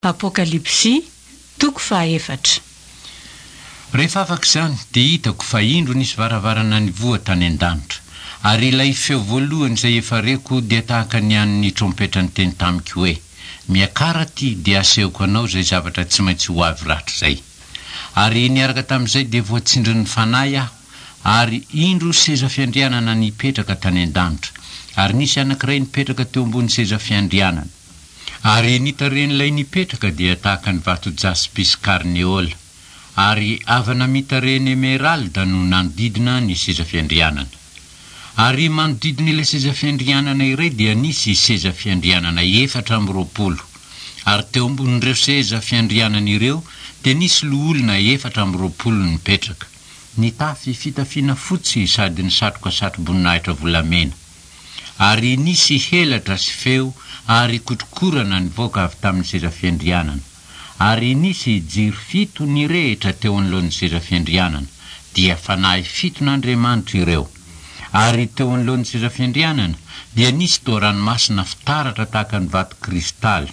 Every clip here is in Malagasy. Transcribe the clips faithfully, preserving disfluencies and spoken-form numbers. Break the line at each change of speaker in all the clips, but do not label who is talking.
Apokalypsy, toko fahaefatra.
Rehefa afaka izany, dia hitako fa indro nisy varavarana nivoha tany an-danitra, ary ilay feo voalohany izay efa reko dia tahaka ny an'ny trompetra niteny tamiko hoe: Miakara aty, dia asehoko anao izay zavatra tsy maintsy ho avy rahatrizay. Ary niaraka tamin'izay dia voatsindrin'ny Fanahy aho, ary indro seza fiandrianana nipetraka tany an-danitra, ary nisy anankiray nipetraka teo ambony seza fiandrianana. Ary ny tarehin'ilay nipetraka dia tahaka ny vato jaspis karneola, ary avana mitarehin'ny emeralda no nanodidina ny seza fiandrianana. Ary manodidina ilay seza fiandrianana iray dia nisy seza fiandrianana efatra amby roapolo, ary teo ambonin'ireo seza fiandrianana ireo dia nisy loholona efatra amby roapolo nipetraka, nitafy fitafiana fotsy sady nisatroka satroboninahitra volamena. Ary nisy helatra sy feo ary kotrokorana nivoaka avy tamin'ny seza fiandrianana. Ary nisy jiro fito nirehitra teo anoloan'ny seza fiandrianana, dia fanahy fiton'Andriamanitra ireo. Ary teo anoloan'ny seza fiandrianana dia nisy toa ranomasina fitaratra tahaka ny vato kristaly.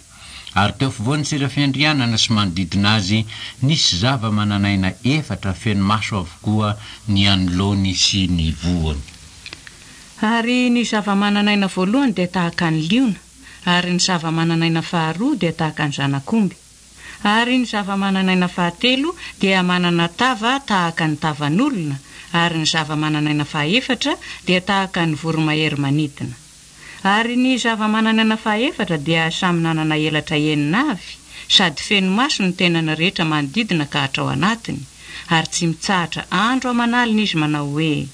Ary teo afovoan'ny seza fiandrianana sy manodidina azy nisy zava-mananaina efatra feno maso avokoa ny anoloany sy ny voany.
Ary ny zava-mananaina voalohany dia tahaka ny liona, ary ny zava-mananaina faharoa dia tahaka ny zanak'omby. Ary ny zava-mananaina fahatelo dia manana tava tahaka ny tavan'olona, ary ny zava-mananaina fahaefatra dia tahaka ny voromahery manidina. Ary ny zava-mananaina fahaefatra dia samy nanana elatra enina avy, sady feno maso ny tenany rehetra manodidina ka hatrao anatiny, ary tsy mitsahatra andro aman'alina izy manao hoe: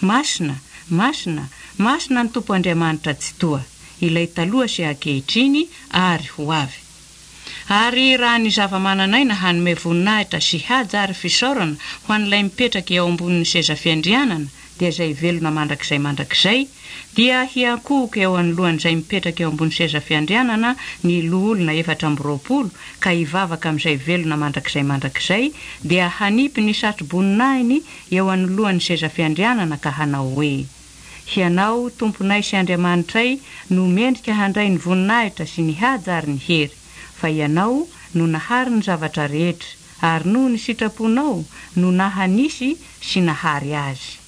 Masina, masina, masina ny Tompo Andriamanitra Tsitoha, ilay taloha sy ankehitriny ary ho avy. Ary raha ny zava-mananaina hanome voninahitra sy haja ary fisaorana ho an'ilay mipetraka eo ambonin'ny seza fiandrianana, dia izay velona mandrakizay mandrakizay, dia hiankohoka eo anoloan'izay mipetraka eo ambony seza fiandrianana ny loholona efatra amby roapolo, ka hivavaka amin'izay velona mandrakizay mandrakizay, dia hanipy ny satroboninahiny eo anoloan'ny seza fiandrianana ka hanao hoe: Hianao, Tomponay sy Andriamanitray, no mendrika handray ny voninahitra sy ny haja ary ny hery, fa ianao no nahary ny zavatra rehetra, ary noho ny sitraponao no nahanisy sy nahary azy.